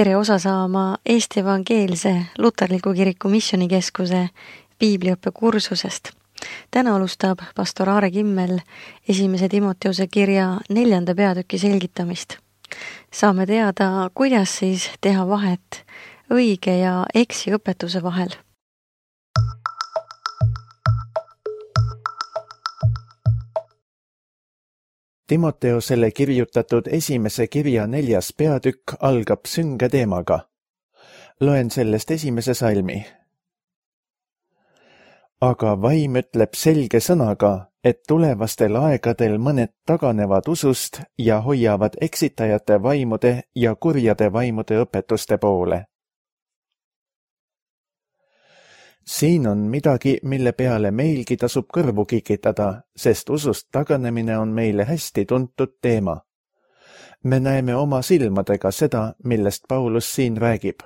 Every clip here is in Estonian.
Tere osa saama Eesti Evangeelse Luterliku Kiriku Missioonikeskuse piibliõppe kursusest. Täna alustab pastor Aare Kimmel 1. Timoteuse kirja 4. peatüki selgitamist. Saame teada, kuidas siis teha vahet õige ja eksi õpetuse vahel. Timoteosele kirjutatud 1. kirja 4. peatükk algab sünge teemaga. Loen sellest 1. salmi. Aga vaim ütleb selge sõnaga, et tulevastel aegadel mõned taganevad usust ja hoiavad eksitajate vaimude ja kurjade vaimude õpetuste poole. Siin on midagi, mille peale meilgi tasub kõrvu kikitada, sest usust taganemine on meile hästi tuntud teema. Me näeme oma silmadega seda, millest Paulus siin räägib.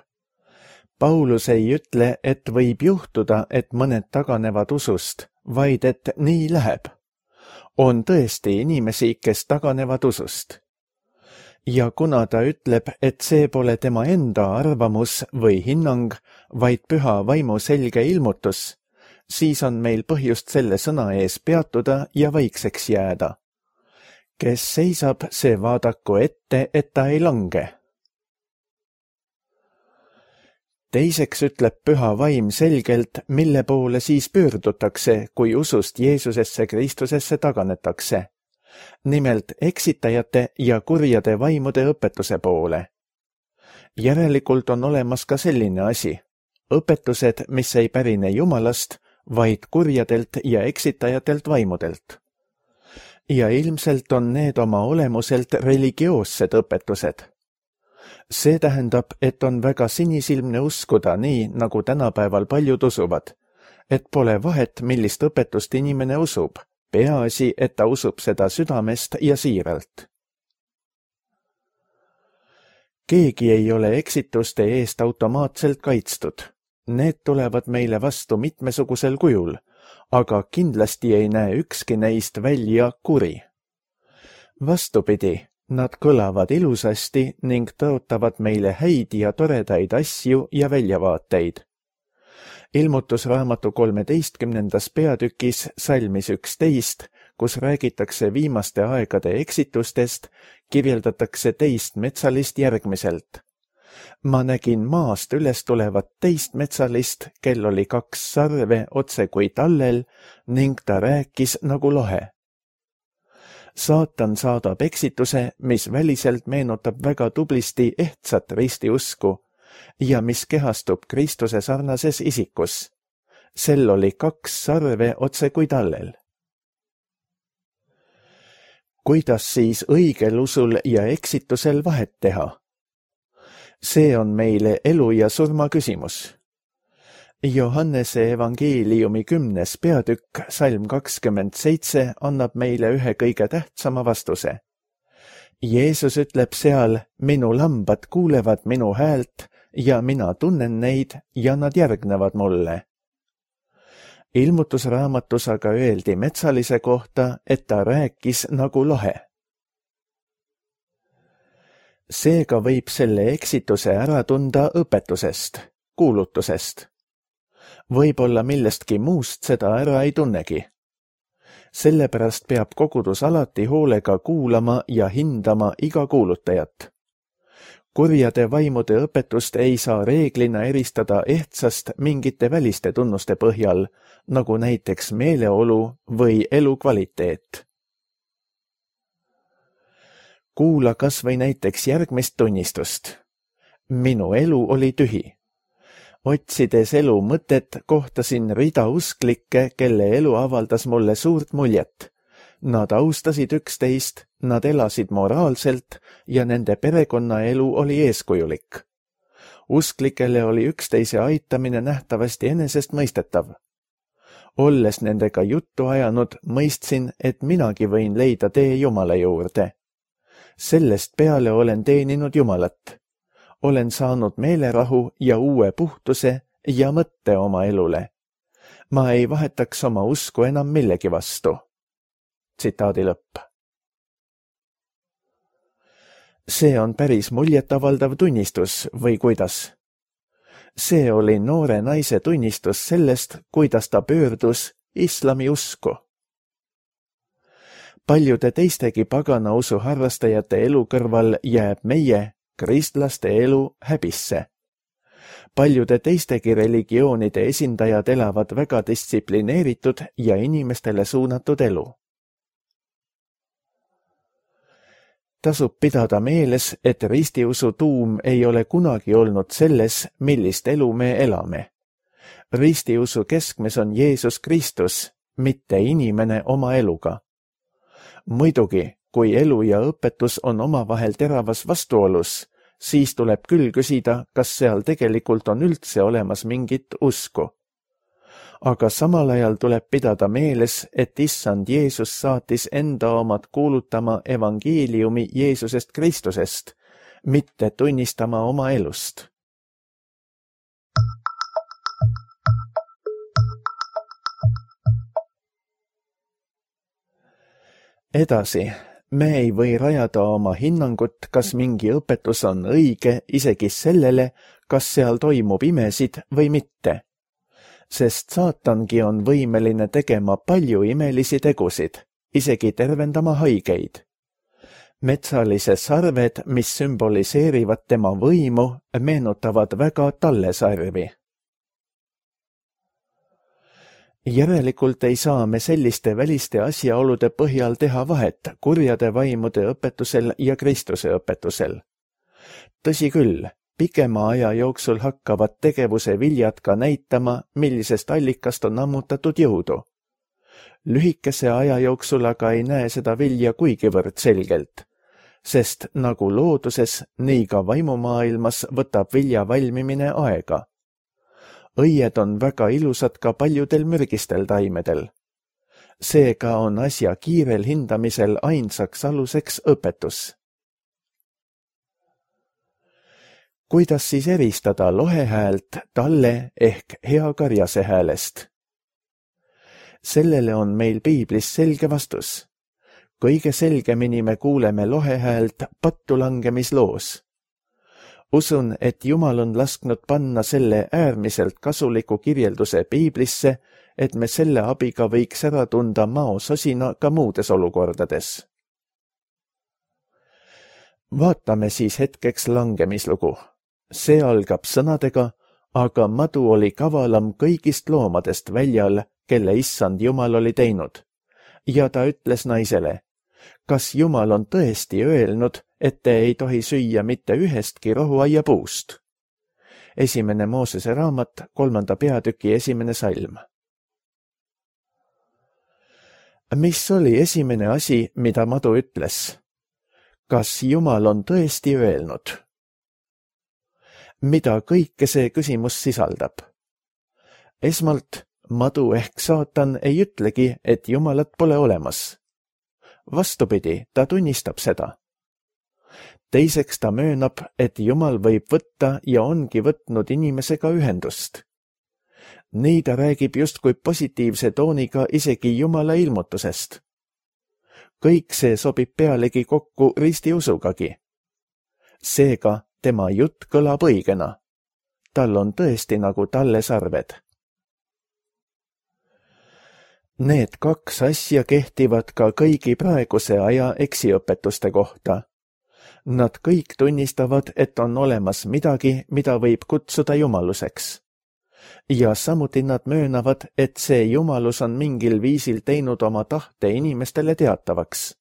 Paulus ei ütle, et võib juhtuda, et mõned taganevad usust, vaid et nii läheb. On tõesti inimesi, kes taganevad usust. Ja kuna ta ütleb, et see pole tema enda arvamus või hinnang, vaid püha vaimu selge ilmutus, siis on meil põhjust selle sõna ees peatuda ja vaikseks jääda. Kes seisab, see vaadaku ette, et ta ei lange. Teiseks ütleb püha vaim selgelt, mille poole siis pöördutakse, kui usust Jeesusesse Kristusesse taganetakse. Nimelt eksitajate ja kurjade vaimude õpetuse poole. Järelikult on olemas ka selline asi. Õpetused, mis ei pärine Jumalast, vaid kurjadelt ja eksitajatelt vaimudelt. Ja ilmselt on need oma olemuselt religioossed õpetused. See tähendab, et on väga sinisilmne uskuda nii, nagu tänapäeval paljud usuvad, et pole vahet, millist õpetust inimene usub. Peaasi, et ta usub seda südamest ja siiralt. Keegi ei ole eksituste eest automaatselt kaitstud. Need tulevad meile vastu mitmesugusel kujul, aga kindlasti ei näe ükski neist välja kuri. Vastupidi, nad kõlavad ilusasti ning tõotavad meile häid ja toredaid asju ja väljavaateid. Ilmutusraamatu 13. peatükis salmis 11, kus räägitakse viimaste aegade eksitustest, kirjeldatakse teist metsalist järgmiselt. Ma nägin maast üles tulevat teist metsalist, kel oli 2 sarve otse kui tallel ning ta rääkis nagu lohe. Saatan saadab eksituse, mis väliselt meenutab väga tublisti ehtsat ristiusku, ja mis kehastub Kristuse sarnases isikus. Sel oli 2 sarve otse kui tallel. Kuidas siis õigel usul ja eksitusel vahet teha? See on meile elu ja surma küsimus. Johannese evangeeliumi 10. peatükk, salm 27 annab meile ühe kõige tähtsama vastuse. Jeesus ütleb seal, minu lambad kuulevad minu häält, ja mina tunnen neid ja nad järgnevad mulle. Ilmutusraamatus aga öeldi metsalise kohta, et ta rääkis nagu lohe. Seega võib selle eksituse ära tunda õpetusest, kuulutusest. Võib-olla millestki muust seda ära ei tunnegi. Sellepärast peab kogudus alati hoolega kuulama ja hindama iga kuulutajat. Kurjade vaimude õpetust ei saa reeglina eristada ehtsast mingite väliste tunnuste põhjal, nagu näiteks meeleolu või elukvaliteet. Kuula kas või näiteks järgmist tunnistust. Minu elu oli tühi. Otsides elu mõtet, kohtasin rida usklikke, kelle elu avaldas mulle suurt muljet. Nad austasid üksteist, nad elasid moraalselt ja nende perekonnaelu oli eeskujulik. Usklikele oli üksteise aitamine nähtavasti enesestmõistetav. Olles nendega juttu ajanud, mõistsin, et minagi võin leida tee Jumala juurde. Sellest peale olen teeninud Jumalat. Olen saanud meelerahu ja uue puhtuse ja mõtte oma elule. Ma ei vahetaks oma usku enam millegi vastu. Tsitaadi lõpp. See on päris muljetavaldav tunnistus või kuidas? See oli noore naise tunnistus sellest, kuidas ta pöördus islami usku. Paljude teistegi pagana usu harrastajate elu kõrval jääb meie, kristlaste elu häbisse. Paljude teistegi religioonide esindajad elavad väga distsiplineeritud ja inimestele suunatud elu. Tasub pidada meeles, et ristiusu tuum ei ole kunagi olnud selles, millist elu me elame. Ristiusu keskmes on Jeesus Kristus, mitte inimene oma eluga. Muidugi, kui elu ja õpetus on omavahel teravas vastuolus, siis tuleb küll küsida, kas seal tegelikult on üldse olemas mingit usku. Aga samal ajal tuleb pidada meeles, et issand Jeesus saatis enda omad kuulutama evangeeliumi Jeesusest Kristusest, mitte tunnistama oma elust. Edasi, me ei või rajada oma hinnangut, kas mingi õpetus on õige isegi sellele, kas seal toimub imesid või mitte. Sest saatangi on võimeline tegema palju imelisi tegusid, isegi tervendama haigeid. Metsalised sarved, mis sümboliseerivad tema võimu, meenutavad väga tallesarvi. Järelikult ei saa me selliste väliste asjaolude põhjal teha vahet kurjade vaimude õpetusel ja Kristuse õpetusel. Tõsi küll, pikema aja jooksul hakkavad tegevuse viljad ka näitama, millisest allikast on ammutatud jõudu. Lühikese aja jooksul aga ei näe seda vilja kuigivõrd selgelt, sest nagu looduses, nii ka vaimumaailmas võtab vilja valmimine aega. Õied on väga ilusad ka paljudel mürgistel taimedel. Seega on asja kiirel hindamisel ainsaks aluseks õpetus. Kuidas siis eristada lohehäält talle ehk hea karjase häälest? Sellele on meil piiblis selge vastus. Kõige selgemini me kuuleme lohehäält pattu langemisloos. Usun, et Jumal on lasknud panna selle äärmiselt kasuliku kirjelduse piiblisse, et me selle abiga võiks ära tunda maososina ka muudes olukordades. Vaatame siis hetkeks langemislugu. See algab sõnadega, aga madu oli kavalam kõigist loomadest väljal, kelle issand Jumal oli teinud. Ja ta ütles naisele, kas Jumal on tõesti öelnud, et te ei tohi süüa mitte ühestki rohuaia puust? 1. Moosese raamat, 3. peatüki 1. salm. Mis oli esimene asi, mida madu ütles? Kas Jumal on tõesti öelnud? Mida kõike see küsimus sisaldab? Esmalt, madu ehk saatan ei ütlegi, et Jumalat pole olemas. Vastupidi, ta tunnistab seda. Teiseks ta möönab, et Jumal võib võtta ja ongi võtnud inimesega ühendust. Nii ta räägib justkui positiivse tooniga isegi Jumala ilmutusest. Kõik see sobib pealegi kokku ristiusugagi. Seega tema jutt kõlab õigena. Tal on tõesti nagu tallesarved. Need kaks asja kehtivad ka kõigi praeguse aja eksiõpetuste kohta. Nad kõik tunnistavad, et on olemas midagi, mida võib kutsuda jumaluseks. Ja samuti nad möönavad, et see jumalus on mingil viisil teinud oma tahte inimestele teatavaks.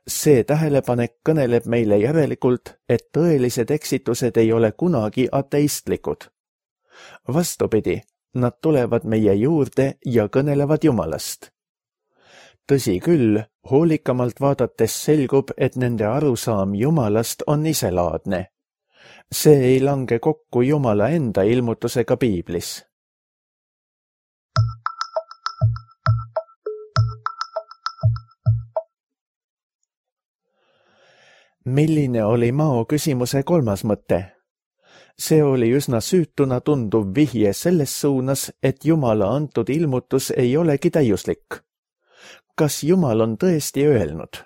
See tähelepanek kõneleb meile järelikult, et tõelised eksitused ei ole kunagi ateistlikud. Vastupidi, nad tulevad meie juurde ja kõnelevad Jumalast. Tõsi küll, hoolikamalt vaadates selgub, et nende arusaam Jumalast on iselaadne. See ei lange kokku Jumala enda ilmutusega piiblis. Milline oli Mao küsimuse kolmas mõte? See oli üsna süütuna tunduv vihje selles suunas, et Jumala antud ilmutus ei olegi täiuslik. Kas Jumal on tõesti öelnud?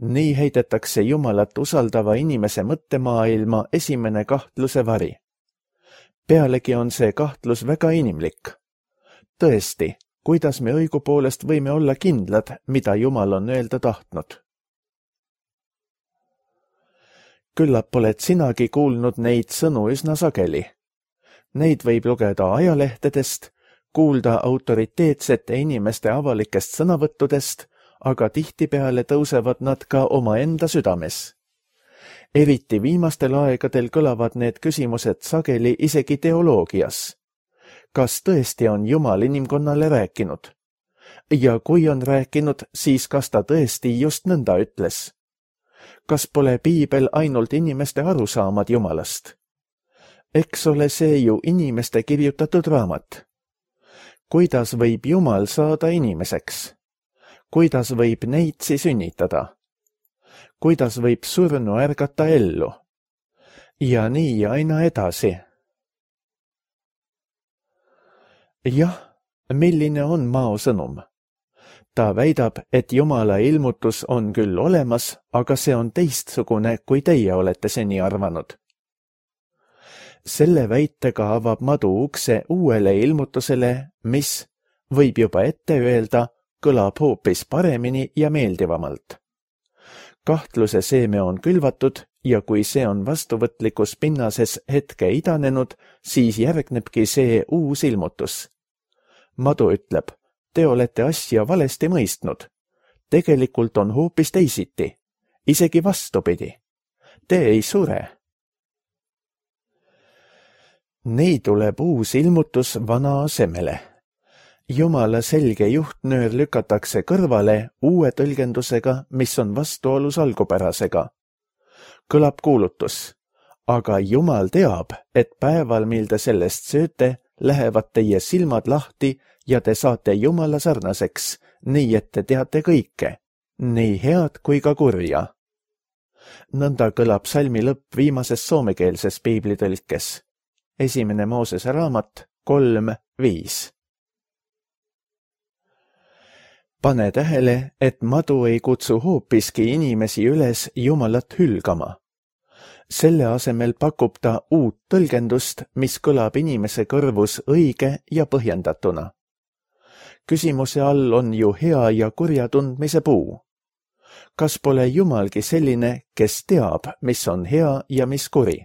Nii heidetakse Jumalat usaldava inimese mõttemaailma esimene kahtluse vari. Pealegi on see kahtlus väga inimlik. Tõesti, kuidas me õigupoolest võime olla kindlad, mida Jumal on öelda tahtnud? Küllap oled sinagi kuulnud neid sõnu üsna sageli. Neid võib lugeda ajalehtedest, kuulda autoriteetsete inimeste avalikest sõnavõttudest, aga tihtipeale tõusevad nad ka omaenda südames. Eriti viimastel aegadel kõlavad need küsimused sageli isegi teoloogias. Kas tõesti on Jumal inimkonnale rääkinud? Ja kui on rääkinud, siis kas ta tõesti just nõnda ütles? Kas pole piibel ainult inimeste arusaamad Jumalast? Eks ole see ju inimeste kirjutatud raamat. Kuidas võib Jumal saada inimeseks? Kuidas võib neitsi sünnitada? Kuidas võib surnu ärgata ellu? Ja nii aina edasi. Jah, milline on Mao sõnum? Ta väidab, et Jumala ilmutus on küll olemas, aga see on teistsugune, kui teie olete seni arvanud. Selle väitega avab Madu ukse uuele ilmutusele, mis, võib juba ette öelda, kõlab hoopis paremini ja meeldivamalt. Kahtluse seeme on külvatud ja kui see on vastuvõtlikus pinnases hetke idanenud, siis järgnebki see uus ilmutus. Madu ütleb, te olete asja valesti mõistnud. Tegelikult on hoopis teisiti, isegi vastupidi. Te ei sure. Nii tuleb uus ilmutus vana asemele. Jumala selge juhtnöör lükatakse kõrvale uue tõlgendusega, mis on vastuolus algupärasega. Kõlab kuulutus, aga Jumal teab, et päeval, mil te sellest sööte, lähevad teie silmad lahti ja te saate Jumala sarnaseks, nii et te teate kõike, nii head kui ka kurja. Nõnda kõlab salmi lõpp viimases soomekeelses piiblitõlkes. 1. Moosese raamat 3:5. Pane tähele, et Madu ei kutsu hoopiski inimesi üles Jumalat hülgama. Selle asemel pakub ta uut tõlgendust, mis kõlab inimese kõrvus õige ja põhjendatuna. Küsimuse all on ju hea ja kurja tundmise puu. Kas pole Jumalgi selline, kes teab, mis on hea ja mis kuri?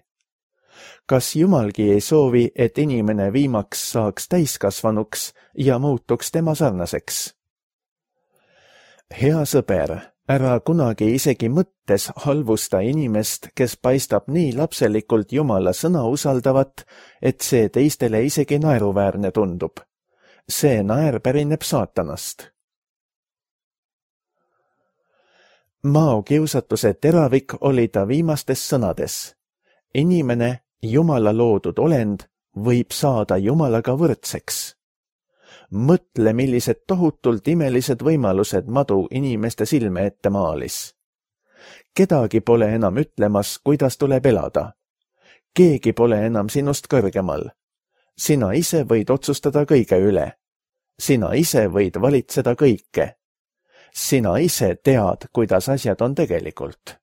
Kas Jumalgi ei soovi, et inimene viimaks saaks täiskasvanuks ja muutuks tema sarnaseks? Hea sõber, ära kunagi isegi mõttes halvusta inimest, kes paistab nii lapselikult Jumala sõna usaldavat, et see teistele isegi naeruväärne tundub. See naer pärineb saatanast. Mao kiusatuse teravik oli ta viimastes sõnades. Inimene, Jumala loodud olend, võib saada Jumalaga võrdseks. Mõtle, millised tohutult imelised võimalused Madu inimeste silme ette maalis. Kedagi pole enam ütlemas, kuidas tuleb elada. Keegi pole enam sinust kõrgemal. Sina ise võid otsustada kõige üle. Sina ise võid valitseda kõike. Sina ise tead, kuidas asjad on tegelikult.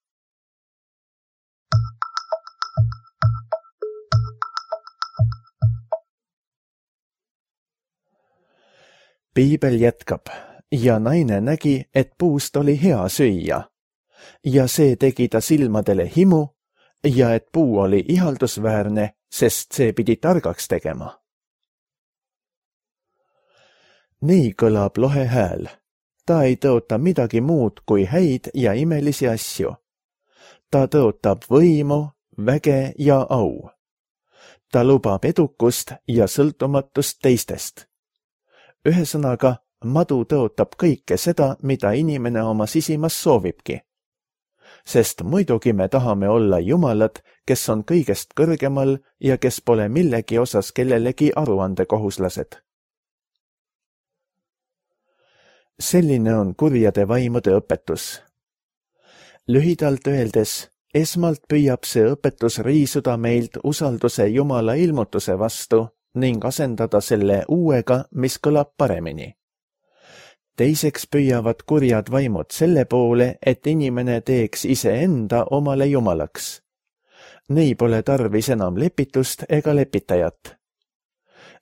Piibel jätkab, ja naine nägi, et puust oli hea süüa, ja see tegi ta silmadele himu, ja et puu oli ihaldusväärne, sest see pidi targaks tegema. Nii kõlab lohe hääl. Ta ei tõota midagi muud kui häid ja imelisi asju. Ta tõotab võimu, väge ja au. Ta lubab edukust ja sõltumatust teistest. Ühesõnaga, Madu tõotab kõike seda, mida inimene oma sisimas soovibki. Sest muidugi me tahame olla Jumalad, kes on kõigest kõrgemal ja kes pole millegi osas kellelegi aruandekohuslased. Selline on kurjade vaimude õpetus. Lühidalt öeldes, esmalt püüab see õpetus riisuda meilt usalduse Jumala ilmutuse vastu ning asendada selle uuega, mis kõlab paremini. Teiseks püüavad kurjad vaimud selle poole, et inimene teeks iseenda omale jumalaks. Nei pole tarvis enam lepitust ega lepitajat.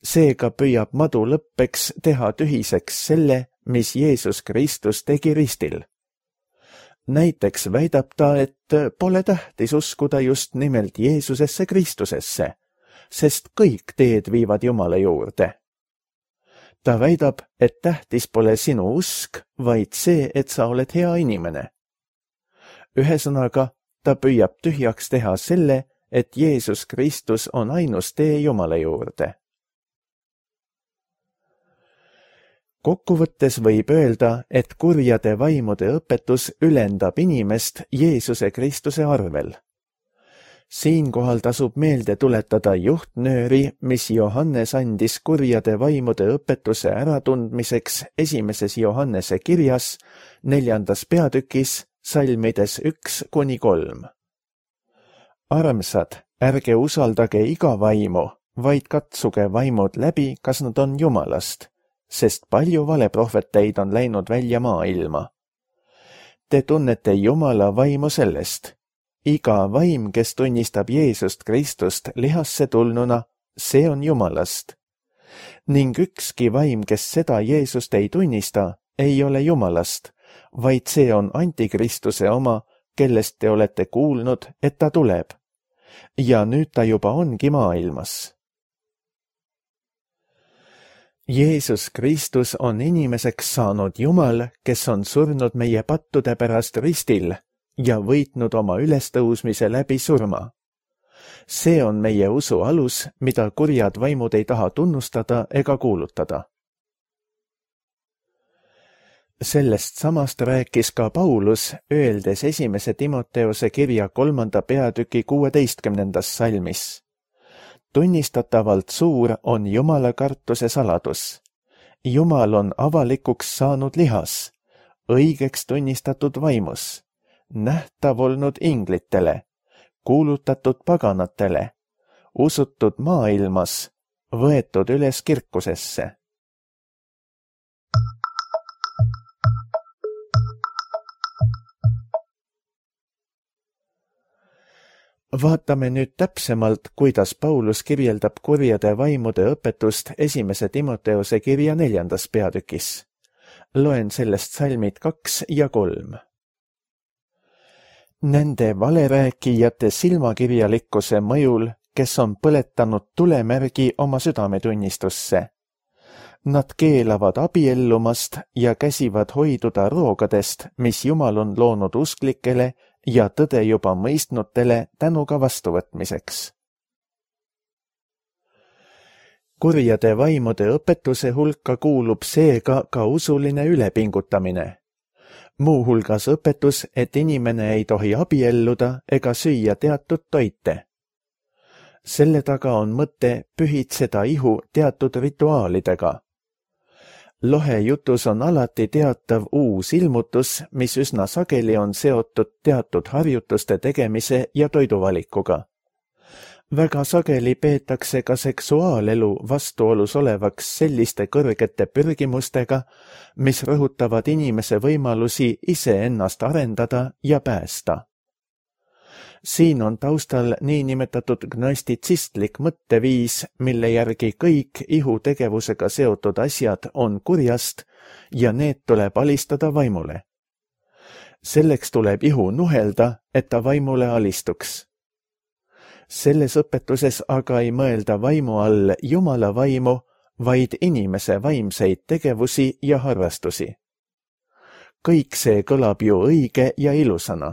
Seega püüab madu lõppeks teha tühiseks selle, mis Jeesus Kristus tegi ristil. Näiteks väidab ta, et pole tähtis uskuda just nimelt Jeesusesse Kristusesse, sest kõik teed viivad Jumala juurde. Ta väidab, et tähtis pole sinu usk, vaid see, et sa oled hea inimene. Ühesõnaga, ta püüab tühjaks teha selle, et Jeesus Kristus on ainus tee Jumala juurde. Kokkuvõttes võib öelda, et kurjade vaimude õpetus ülendab inimest Jeesuse Kristuse arvel. Siinkohal tasub meelde tuletada juhtnööri, mis Johannes andis kurjade vaimude õpetuse äratundmiseks 1. Johannese kirjas 4. peatükis salmides 1-3. Armsad, ärge usaldage iga vaimu, vaid katsuge vaimud läbi, kas nad on Jumalast, sest palju valeprohveteid on läinud välja maailma. Te tunnete Jumala vaimu sellest. Iga vaim, kes tunnistab Jeesust Kristust lihasse tulnuna, see on Jumalast. Ning ükski vaim, kes seda Jeesust ei tunnista, ei ole Jumalast, vaid see on Antikristuse oma, kellest te olete kuulnud, et ta tuleb. Ja nüüd ta juba ongi maailmas. Jeesus Kristus on inimeseks saanud Jumal, kes on surnud meie pattude pärast ristil ja võitnud oma ülestõusmise läbi surma. See on meie usu alus, mida kurjad vaimud ei taha tunnustada ega kuulutada. Sellest samast rääkis ka Paulus, öeldes 1. Timoteose kirja 3. peatüki 16. salmis. Tunnistatavalt suur on Jumala kartuse saladus. Jumal on avalikuks saanud lihas, õigeks tunnistatud vaimus, nähtav olnud inglitele, kuulutatud paganatele, usutud maailmas, võetud üles kirkusesse. Vaatame nüüd täpsemalt, kuidas Paulus kirjeldab kurjade vaimude õpetust 1. Timoteose kirja 4. peatükis. Loen sellest salmid 2 ja 3. Nende valerääkijate silmakirjalikkuse mõjul, kes on põletanud tulemärgi oma südametunnistusse. Nad keelavad abiellumast ja käsivad hoiduda roogadest, mis Jumal on loonud usklikele ja tõde juba mõistnutele tänuga vastuvõtmiseks. Kurjade vaimude õpetuse hulka kuulub seega ka usuline ülepingutamine. Muuhulgas õpetus, et inimene ei tohi abielluda ega süüa teatud toite. Selle taga on mõte pühitseda ihu teatud rituaalidega. Lohe jutus on alati teatav uus ilmutus, mis üsna sageli on seotud teatud harjutuste tegemise ja toiduvalikuga. Väga sageli peetakse ka seksuaalelu vastuolus olevaks selliste kõrgete pürgimustega, mis rõhutavad inimese võimalusi iseennast arendada ja päästa. Siin on taustal niinimetatud gnostitsistlik mõtteviis, mille järgi kõik ihutegevusega seotud asjad on kurjast ja need tuleb alistada vaimule. Selleks tuleb ihu nuhelda, et ta vaimule alistuks. Selles õpetuses aga ei mõelda vaimu all Jumala vaimu, vaid inimese vaimseid tegevusi ja harrastusi. Kõik see kõlab ju õige ja ilusana.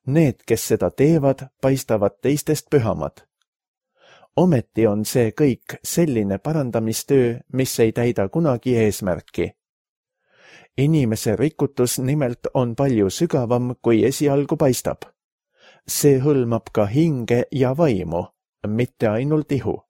Need, kes seda teevad, paistavad teistest pühamad. Ometi on see kõik selline parandamistöö, mis ei täida kunagi eesmärki. Inimese rikutus nimelt on palju sügavam, kui esialgu paistab. See hõlmab ka hinge ja vaimu, mitte ainult ihu.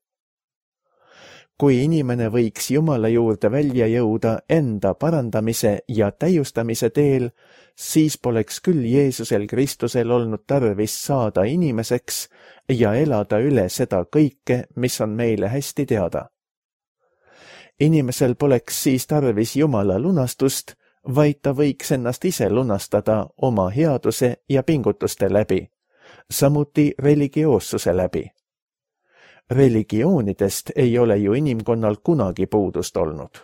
Kui inimene võiks Jumala juurde välja jõuda enda parandamise ja täiustamise teel, siis poleks küll Jeesusel Kristusel olnud tarvis saada inimeseks ja elada üle seda kõike, mis on meile hästi teada. Inimesel poleks siis tarvis Jumala lunastust, vaid ta võiks ennast ise lunastada oma headuse ja pingutuste läbi, samuti religioossuse läbi. Religioonidest ei ole ju inimkonnal kunagi puudust olnud.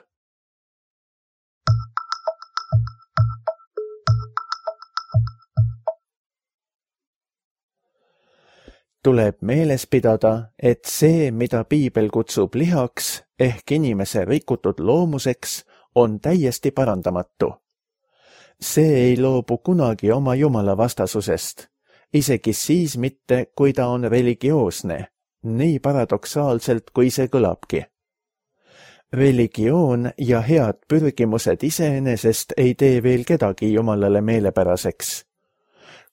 Tuleb meeles pidada, et see, mida piibel kutsub lihaks ehk inimese rikutud loomuseks, on täiesti parandamatu. See ei loobu kunagi oma Jumala vastasusest, isegi siis mitte, kui ta on religioosne, nii paradoksaalselt, kui see kõlabki. Religioon ja head pürgimused iseenesest ei tee veel kedagi Jumalale meelepäraseks.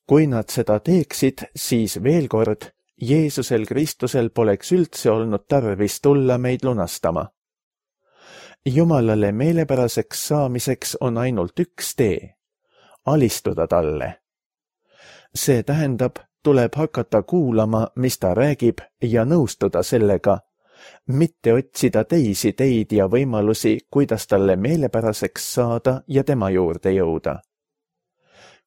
Kui nad seda teeksid, siis veel kord, Jeesusel Kristusel poleks üldse olnud tarvis tulla meid lunastama. Jumalale meelepäraseks saamiseks on ainult üks tee, alistuda talle. See tähendab, tuleb hakata kuulama, mis ta räägib ja nõustuda sellega, mitte otsida teisi teid ja võimalusi, kuidas talle meelepäraseks saada ja tema juurde jõuda.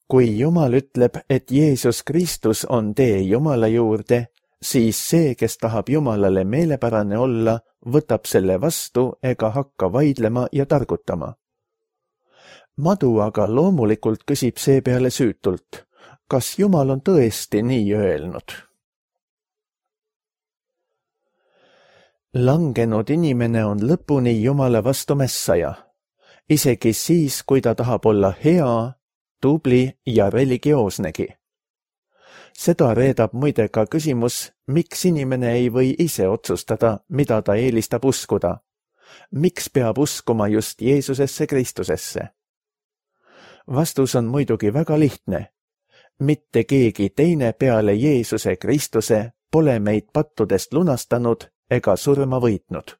Kui Jumal ütleb, et Jeesus Kristus on tee Jumala juurde, siis see, kes tahab Jumalale meelepärane olla, võtab selle vastu ega hakka vaidlema ja targutama. Madu aga loomulikult küsib seepeale süütult, kas Jumal on tõesti nii öelnud? Langenud inimene on lõpuni Jumala vastu mässaja, isegi siis, kui ta tahab olla hea, tubli ja religioosnegi. Seda reedab muide ka küsimus, miks inimene ei või ise otsustada, mida ta eelistab uskuda. Miks peab uskuma just Jeesusesse Kristusesse? Vastus on muidugi väga lihtne. Mitte keegi teine peale Jeesuse Kristuse pole meid pattudest lunastanud ega surma võitnud.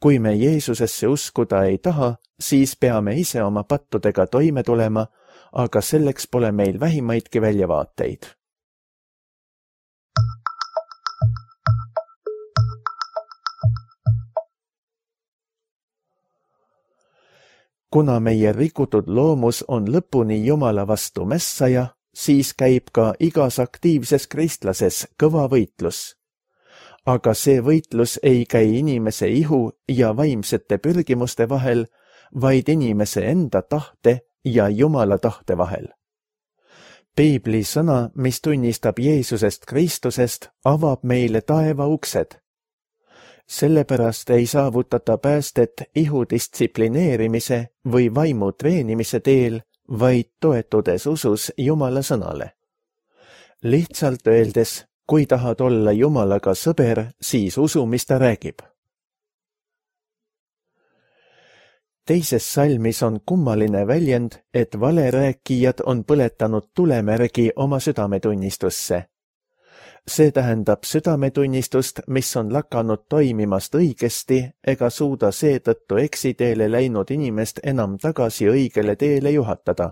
Kui me Jeesusesse uskuda ei taha, siis peame ise oma pattudega toime tulema, aga selleks pole meil vähimaidki väljavaateid. Kuna meie rikutud loomus on lõpuni Jumala vastu mässaja, siis käib ka igas aktiivses kristlases kõva võitlus. Aga see võitlus ei käi inimese ihu ja vaimsete pürgimuste vahel, vaid inimese enda tahte ja Jumala tahte vahel. Piibli sõna, mis tunnistab Jeesusest Kristusest, avab meile taeva uksed. Sellepärast ei saavutata päästet ihu distsiplineerimise või vaimu treenimise teel, vaid toetudes usus Jumala sõnale. Lihtsalt öeldes, kui tahad olla Jumalaga sõber, siis usu, mis ta räägib. Teises salmis on kummaline väljend, et valerääkijad on põletanud tulemärgi oma südametunnistusse. See tähendab südametunnistust, mis on lakanud toimimast õigesti ega suuda seetõttu eksiteele läinud inimest enam tagasi õigele teele juhatada.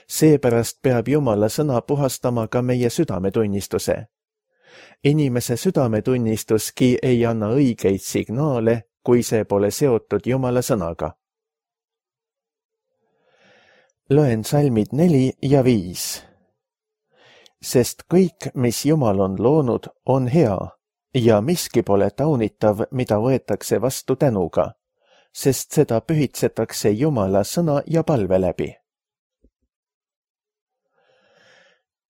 Seepärast peab Jumala sõna puhastama ka meie südametunnistuse. Inimese südametunnistuski ei anna õigeid signaale, kui see pole seotud Jumala sõnaga. Loen salmid 4 ja 5. Sest kõik, mis Jumal on loonud, on hea ja miski pole taunitav, mida võetakse vastu tänuga, sest seda pühitsetakse Jumala sõna ja palve läbi.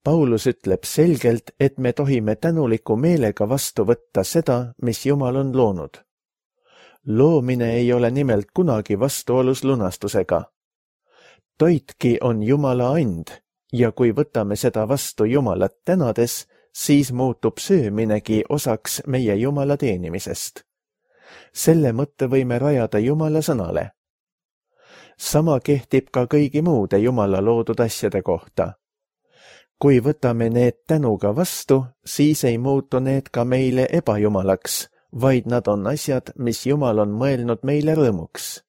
Paulus ütleb selgelt, et me tohime tänuliku meelega vastu võtta seda, mis Jumal on loonud. Loomine ei ole nimelt kunagi vastuolus lunastusega. Toitki on Jumala and ja kui võtame seda vastu Jumalat tänades, siis muutub sööminegi osaks meie Jumala teenimisest. Selle mõtte võime rajada Jumala sõnale. Sama kehtib ka kõigi muude Jumala loodud asjade kohta. Kui võtame need tänuga vastu, siis ei muutu need ka meile ebajumalaks, vaid nad on asjad, mis Jumal on mõelnud meile rõõmuks.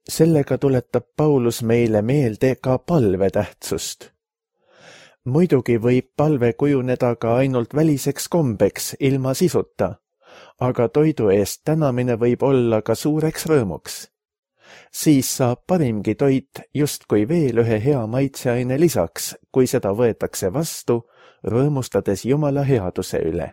Sellega tuletab Paulus meile meelde ka palve tähtsust. Muidugi võib palve kujuneda ka ainult väliseks kombeks ilma sisuta, aga toidu eest tänamine võib olla ka suureks rõõmuks. Siis saab parimgi toit justkui veel ühe hea maitseaine lisaks, kui seda võetakse vastu, rõõmustades Jumala headuse üle.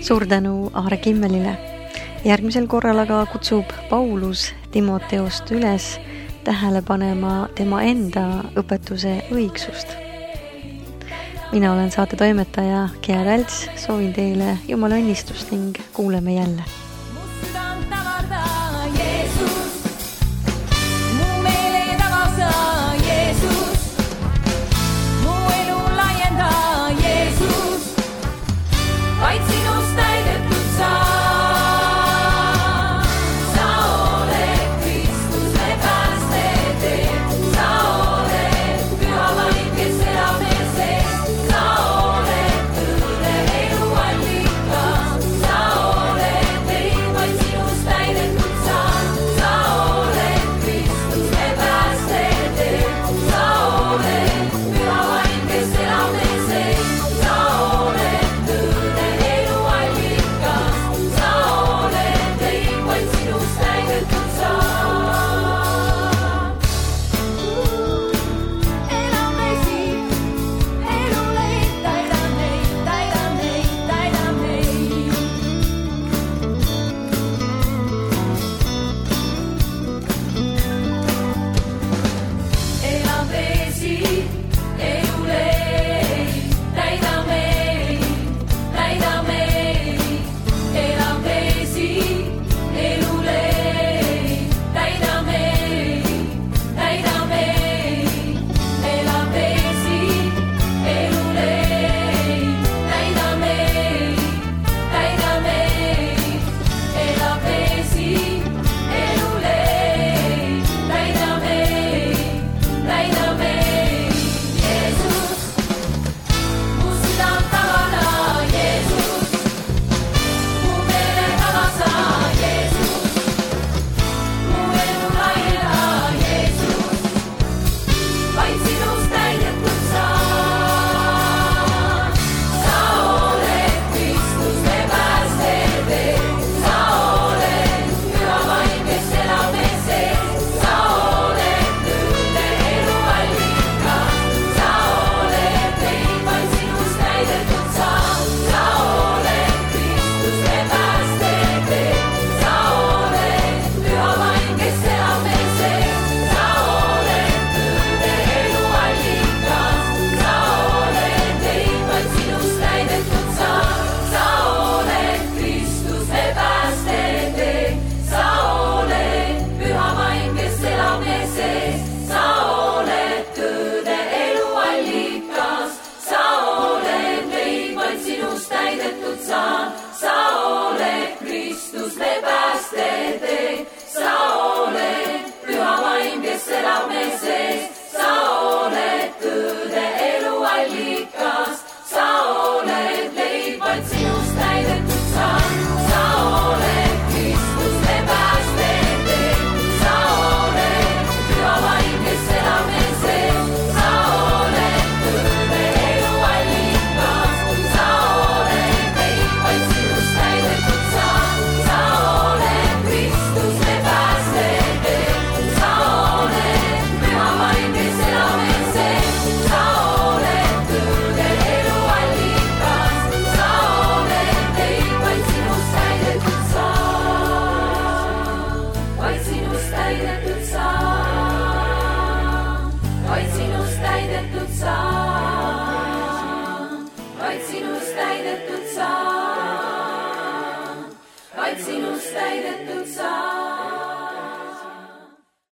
Suur tänu Aare Kimmelile. Järgmisel korral aga kutsub Paulus Timoteost üles tähele panema tema enda õpetuse õigsust. Mina olen saate toimetaja Gea Välts, soovin teile Jumala õnnistust ning kuuleme jälle.